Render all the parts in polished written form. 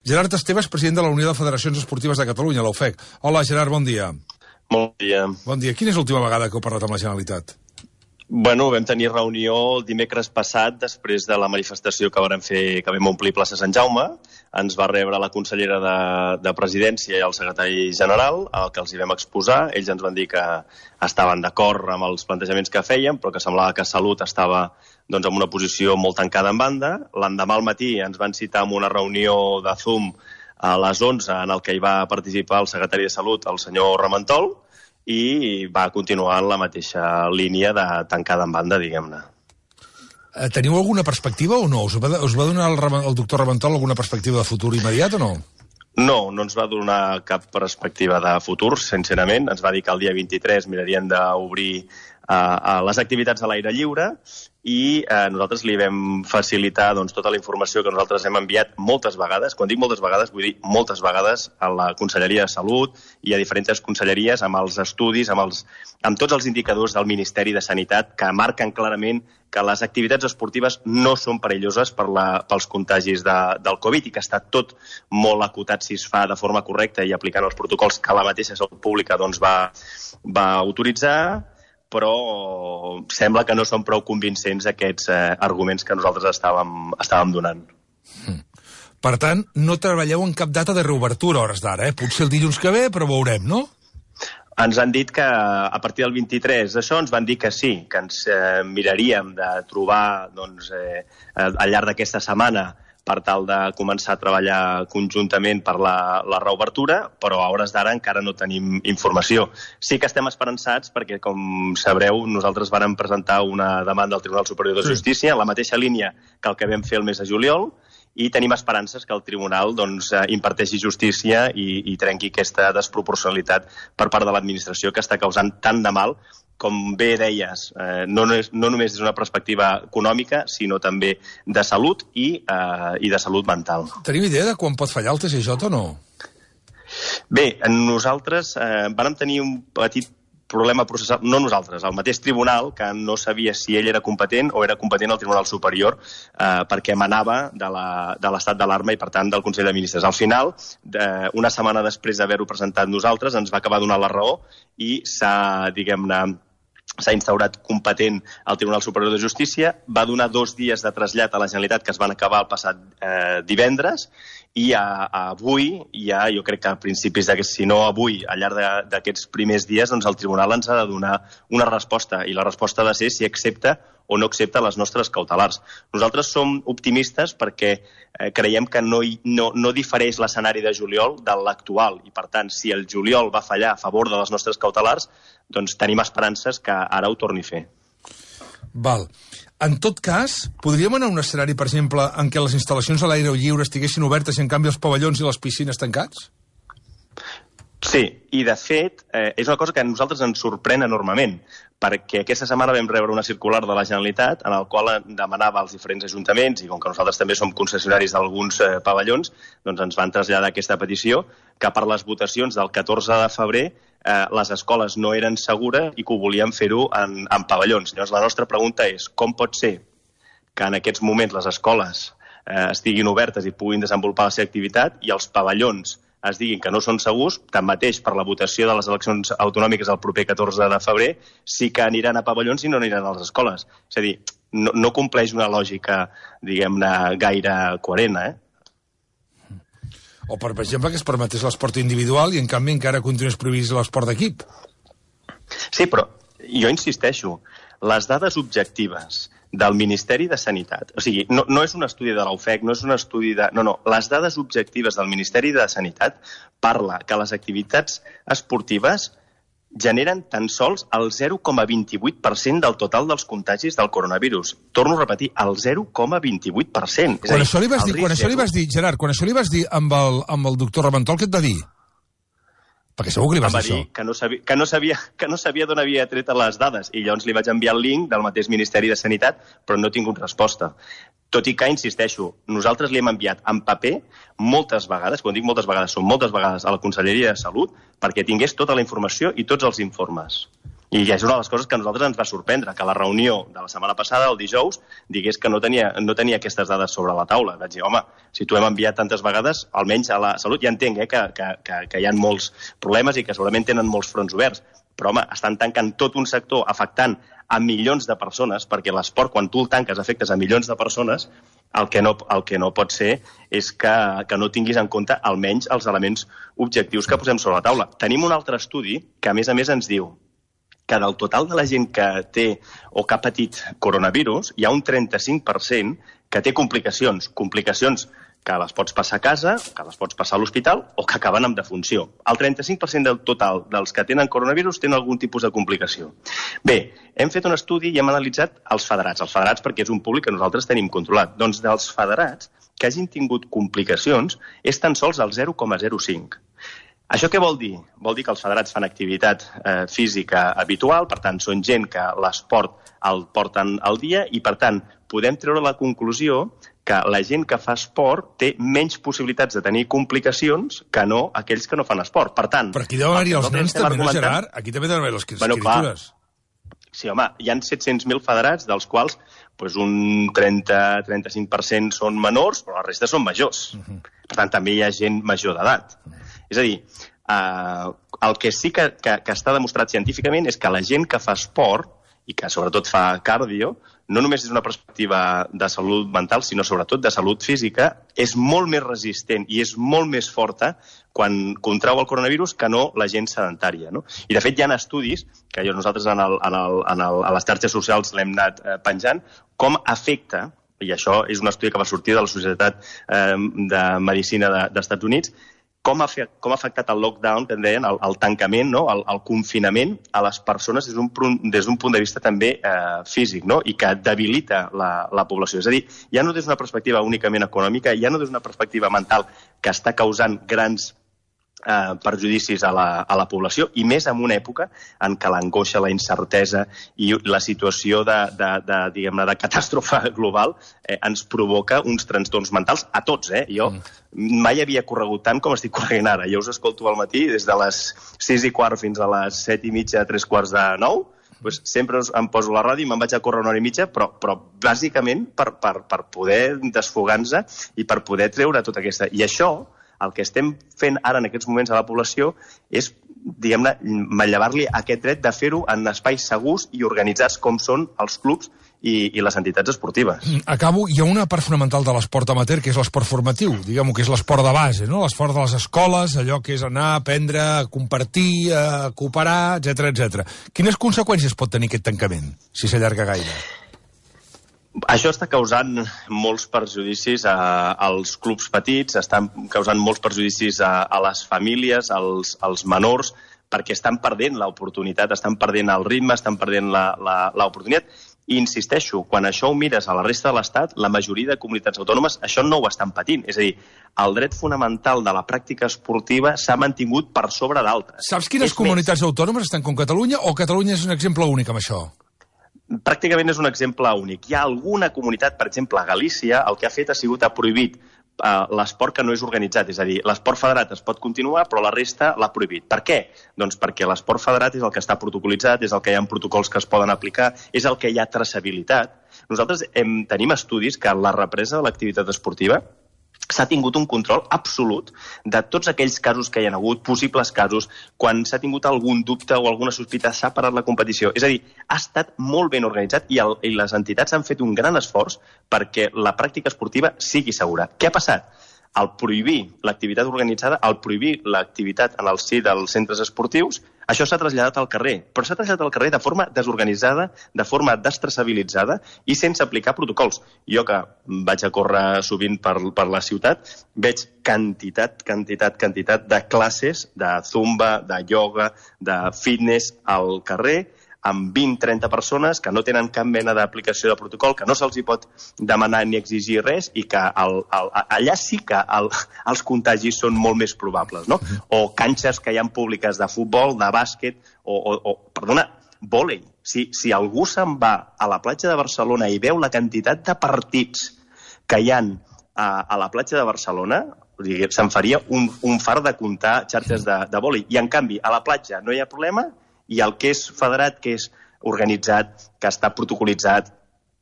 Gerard Estebes, president de la Unió de Federacions Esportives de Catalunya, la UFEC. Hola, Gerard, bon dia. Bon dia. Bon dia. Quina és l'última vegada que heu parlat amb la Generalitat? Bueno, vam tenir reunió el dimecres passat, després de la manifestació que vam omplir plaça Sant Jaume. Ens va rebre la consellera de Presidència i el secretari general, el que els hi vam exposar. Ells ens van dir que estaven d'acord amb els plantejaments que fèiem, però que semblava que Salut estava en una posició molt tancada en banda. L'endemà al matí ens van citar en una reunió de Zoom a les 11, en el que hi va participar el secretari de Salut, el senyor Ramentol, i va continuar en la mateixa línia de tancada en banda, diguem-ne. Teniu alguna perspectiva o no? Us va donar el doctor Ramentol alguna perspectiva de futur immediat o no? No, no ens va donar cap perspectiva de futur, sincerament. Ens va dir que el dia 23 mirarien d'obrir les activitats a l'aire lliure i nosaltres li vam facilitar tota la informació que nosaltres hem enviat moltes vegades. Quan dic moltes vegades, vull dir moltes vegades a la Conselleria de Salut i a diferents conselleries amb els estudis, amb tots els indicadors del Ministeri de Sanitat que marquen clarament que les activitats esportives no són perilloses pels contagis del Covid i que està tot molt acotat si es fa de forma correcta i aplicant els protocols que la mateixa Salut Pública va autoritzar, però sembla que no són prou convincents aquests arguments que nosaltres estàvem donant. Per tant, no treballeu en cap data de reobertura a hores d'ara, Potser el dilluns que ve, però veurem, no? Ens han dit que a partir del 23 d'això ens van dir que sí, que ens miraríem de trobar al llarg d'aquesta setmana per tal de començar a treballar conjuntament per la reobertura, però a hores d'ara encara no tenim informació. Sí que estem esperançats perquè, com sabreu, nosaltres vàrem presentar una demanda al Tribunal Superior de Justícia en la mateixa línia que el que vam fer el mes de juliol, i tenim esperances que el tribunal imparteixi justícia i trenqui aquesta desproporcionalitat per part de l'administració que està causant tant de mal, com bé deies, no només des d'una perspectiva econòmica, sinó també de salut i de salut mental. Tenim idea de quan pot fallar el TSJ o no? Bé, nosaltres vàrem tenir un petit problema processal, no nosaltres, el mateix tribunal, que no sabia si ell era competent o era competent al Tribunal Superior perquè emanava de l'estat d'alarma i, per tant, del Consell de Ministres. Al final, una setmana després d'haver-ho presentat nosaltres, ens va acabar donant la raó i s'ha instaurat competent al Tribunal Superior de Justícia, va donar 2 dies de trasllat a la Generalitat que es van acabar el passat divendres, i avui, jo crec que a principis si no avui, al llarg d'aquests primers dies, el tribunal ens ha de donar una resposta, i la resposta ha de ser si accepta o no accepta les nostres cautelars. Nosaltres som optimistes perquè creiem que no difereix l'escenari de juliol de l'actual, i per tant, si el juliol va fallar a favor de les nostres cautelars, doncs tenim esperances que ara ho torni a fer. Val. En tot cas, podríem anar a un escenari, per exemple, en què les instal·lacions a l'aire lliure estiguessin obertes i, en canvi, els pavellons i les piscines tancats? Sí, i de fet és una cosa que a nosaltres ens sorprèn enormement, perquè aquesta setmana vam rebre una circular de la Generalitat en el qual demanava als diferents ajuntaments, i com que nosaltres també som concessionaris d'alguns pavellons, doncs ens van traslladar aquesta petició que per les votacions del 14 de febrer les escoles no eren segures i que ho volien fer-ho en pavellons. Llavors, la nostra pregunta és com pot ser que en aquests moments les escoles estiguin obertes i puguin desenvolupar la seva activitat i els pavellons es diguin que no són segurs, tanmateix per la votació de les eleccions autonòmiques el proper 14 de febrer sí que aniran a pavellons i no aniran a les escoles. És a dir, no compleix una lògica, diguem-ne, gaire coherent, O, per exemple, que es permetés l'esport individual i, en canvi, encara continués prohibit l'esport d'equip. Sí, però jo insisteixo, les dades objectives del Ministeri de Sanitat, o sigui, no és un estudi de la UFEC, no és un estudi de... No, les dades objectives del Ministeri de Sanitat parla que les activitats esportives generen tan sols el 0,28% del total dels contagis del coronavirus. Torno a repetir, el 0,28%. Quan això li vas dir, Gerard, quan això li vas dir amb el doctor Ramentol, què et va dir? Perquè segur que li vas dir això. Que no sabia d'on havia tret les dades, i llavors li vaig enviar el link del mateix Ministeri de Sanitat, però no he tingut resposta. Tot i que, insisteixo, nosaltres li hem enviat en paper moltes vegades, quan dic moltes vegades, són moltes vegades a la Conselleria de Salut, perquè tingués tota la informació i tots els informes. I és una de les coses que a nosaltres ens va sorprendre, que la reunió de la setmana passada, el dijous, digués que no tenia aquestes dades sobre la taula. Vaig dir, home, si t'ho hem enviat tantes vegades, almenys a la Salut, ja entenc que hi ha molts problemes i que segurament tenen molts fronts oberts, però, home, estan tancant tot un sector afectant a milions de persones, perquè l'esport, quan tu el tanques, afectes a milions de persones, el que no pot ser és que no tinguis en compte almenys els elements objectius que posem sobre la taula. Tenim un altre estudi que, a més ens diu que del total de la gent que té o que ha patit coronavirus, hi ha un 35% que té complicacions que les pots passar a casa, que les pots passar a l'hospital o que acaben amb defunció. El 35% del total dels que tenen coronavirus tenen algun tipus de complicació. Bé, hem fet un estudi i hem analitzat els federats perquè és un públic que nosaltres tenim controlat. Doncs dels federats que hagin tingut complicacions és tan sols el 0,05. Això què vol dir? Vol dir que els federats fan activitat física habitual, per tant, són gent que l'esport el porten al dia i, per tant, podem treure la conclusió que la gent que fa esport té menys possibilitats de tenir complicacions que no aquells que no fan esport. Per tant... Però aquí deuen haver-hi els nens també, no, Gerard? Aquí també deuen haver les criatures. Sí, home, hi ha 700.000 federats, dels quals un 30-35% són menors, però la resta són majors. Per tant, també hi ha gent major d'edat. És a dir, el que sí que està demostrat científicament és que la gent que fa esport i que sobretot fa cardio, no només és una perspectiva de salut mental, sinó sobretot de salut física, és molt més resistent i és molt més forta quan contrau el coronavirus que no la gent sedentària. No? I, de fet, hi ha estudis, que nosaltres a les xarxes socials l'hem anat penjant, com afecta, i això és un estudi que va sortir de la Societat de Medicina dels Estats Units, com ha afectat el lockdown, que en deien, el tancament, no? el confinament a les persones des d'un punt de vista també físic, no? I que debilita la població. És a dir, ja no des d'una perspectiva únicament econòmica, ja no des d'una perspectiva mental que està causant grans perjudicis a la població, i més en una època en què l'angoixa, la incertesa i la situació de catàstrofe global ens provoca uns trastorns mentals a tots. Jo mai havia corregut tant com estic corrent ara. Jo us escolto al matí des de les 6:15 fins a les 7:30, 8:45, sempre em poso la ràdio i me'n vaig a córrer una hora i mitja, però bàsicament per poder desfogar-nos i per poder treure tota aquesta... I això, el que estem fent ara en aquests moments a la població és, diguem-ne, manllevar-li aquest dret de fer-ho en espais segurs i organitzats com són els clubs i les entitats esportives. Acabo. Hi ha una part fonamental de l'esport amateur, que és l'esport formatiu, diguem-ho, que és l'esport de base, no? L'esport de les escoles, allò que és anar, aprendre, a compartir, a cooperar, etc. Quines conseqüències pot tenir aquest tancament, si s'allarga gaire? Això està causant molts perjudicis als clubs petits, estan causant molts perjudicis a les famílies, als menors, perquè estan perdent l'oportunitat, estan perdent el ritme, estan perdent l'oportunitat. I insisteixo, quan això ho mires a la resta de l'Estat, la majoria de comunitats autònomes això no ho estan patint. És a dir, el dret fonamental de la pràctica esportiva s'ha mantingut per sobre d'altres. Saps quines comunitats autònomes estan com Catalunya, o Catalunya és un exemple únic amb això? Pràcticament és un exemple únic. Hi ha alguna comunitat, per exemple, a Galícia, el que ha fet ha sigut ha prohibit l'esport que no és organitzat. És a dir, l'esport federat es pot continuar, però la resta l'ha prohibit. Per què? Doncs perquè l'esport federat és el que està protocolitzat, és el que hi ha protocols que es poden aplicar, és el que hi ha traçabilitat. Nosaltres tenim estudis que en la represa de l'activitat esportiva s'ha tingut un control absolut de tots aquells casos que hi ha hagut, possibles casos, quan s'ha tingut algun dubte o alguna sospita, s'ha parat la competició. És a dir, ha estat molt ben organitzat i les entitats han fet un gran esforç perquè la pràctica esportiva sigui segura. Què ha passat? Al prohibir l'activitat organitzada, al prohibir l'activitat en el si dels centres esportius, això s'ha traslladat al carrer, però s'ha traslladat al carrer de forma desorganitzada, de forma destraçabilitzada i sense aplicar protocols. Jo, que vaig a córrer sovint per la ciutat, veig quantitat de classes de zumba, de ioga, de fitness al carrer, amb 20-30 persones que no tenen cap mena d'aplicació de protocol, que no se'ls hi pot demanar ni exigir res i que allà sí que els contagis són molt més probables, no? O canxes que hi ha públiques de futbol, de bàsquet, vòlei. Si algú se'n va a la platja de Barcelona i veu la quantitat de partits que hi ha a la platja de Barcelona, se'n faria un fart de comptar xarxes de vòlei. I, en canvi, a la platja no hi ha problema I el que és federat, que és organitzat, que està protocolitzat,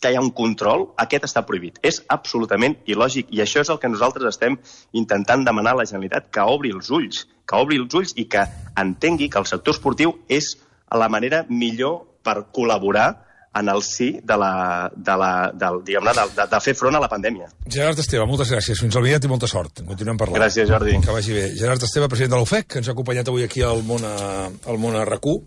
que hi ha un control, aquest està prohibit. És absolutament il·lògic, i això és el que nosaltres estem intentant demanar a la Generalitat, que obri els ulls i que entengui que el sector esportiu és la manera millor per col·laborar en el si de fer front a la pandèmia. Gerard Esteve, moltes gràcies. Fins aviat i molta sort. Continuem parlant. Gràcies, Jordi. Que vagi bé. Gerard Esteve, president de l'UFEC, que ens ha acompanyat avui aquí al Món a RAC1.